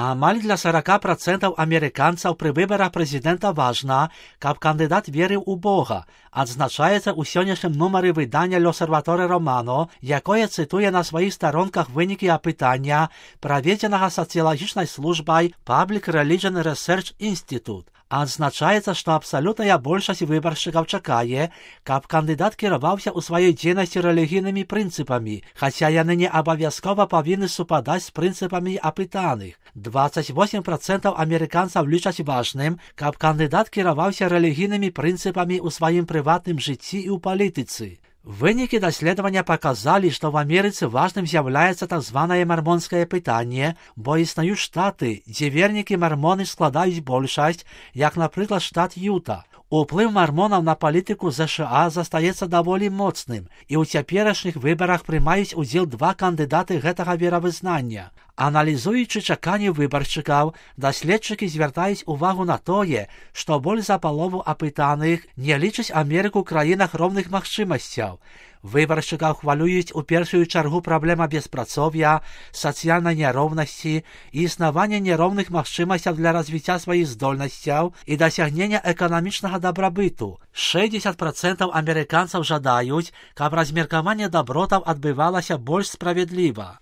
Амаль для 40% амерыканцаў пры выбарах прэзідэнта важна, каб кандыдат верыў у Бога, адзначаецца ў сённяшнім нумары выдання «L'Osservatore Romano», якое цытуе на сваіх старонках вынікі апытання, праведзенага сацыялагічнай службай Public Religion Research Institute. Адзначаецца, што абсалютная большасць выбаршчыкаў чакае, каб кандыдат кіраваўся ў сваёй дзейнасці рэлігійнымі прынцыпамі, хаця яны не абавязкова павінны супадаць з прынцыпамі апытаных. 28% амерыканцаў лічаць важным, каб кандыдат кіраваўся рэлігійнымі прынцыпамі ў сваім прыватным жыцці і ў палітыцы. Вынікі даследавання паказалі, што в Амерыцы важным з'яўляецца так званае мармонскае пытанне, бо існуюць штаты, дзе вернікі мармоны складаюць большасць, як, напрыклад, штат Юта. Уплыў мармонаў на палітыку ЗША застаецца даволі моцным, і ў цяперашніх выбарах прымаюць удзел два кандыдаты гэтага веравызнання. Аналізуючы чаканні выбаршчыкаў, даследчыкі звяртаюць увагу на тое, што больш за палову апытаных не лічаць Амерыку краінах роўных магчымасцяў. Выбаршчыкаў хвалююць у першую чаргу праблема беспрацоўя, сацыяльнай няроўнасці і існавання няроўных магчымасцяў для развіцця сваіх здольнасцяў і дасягнення эканамічнага дабрабыту. 60% амерыканцаў жадаюць, каб размеркаванне дабротаў адбывалася больш справядліва.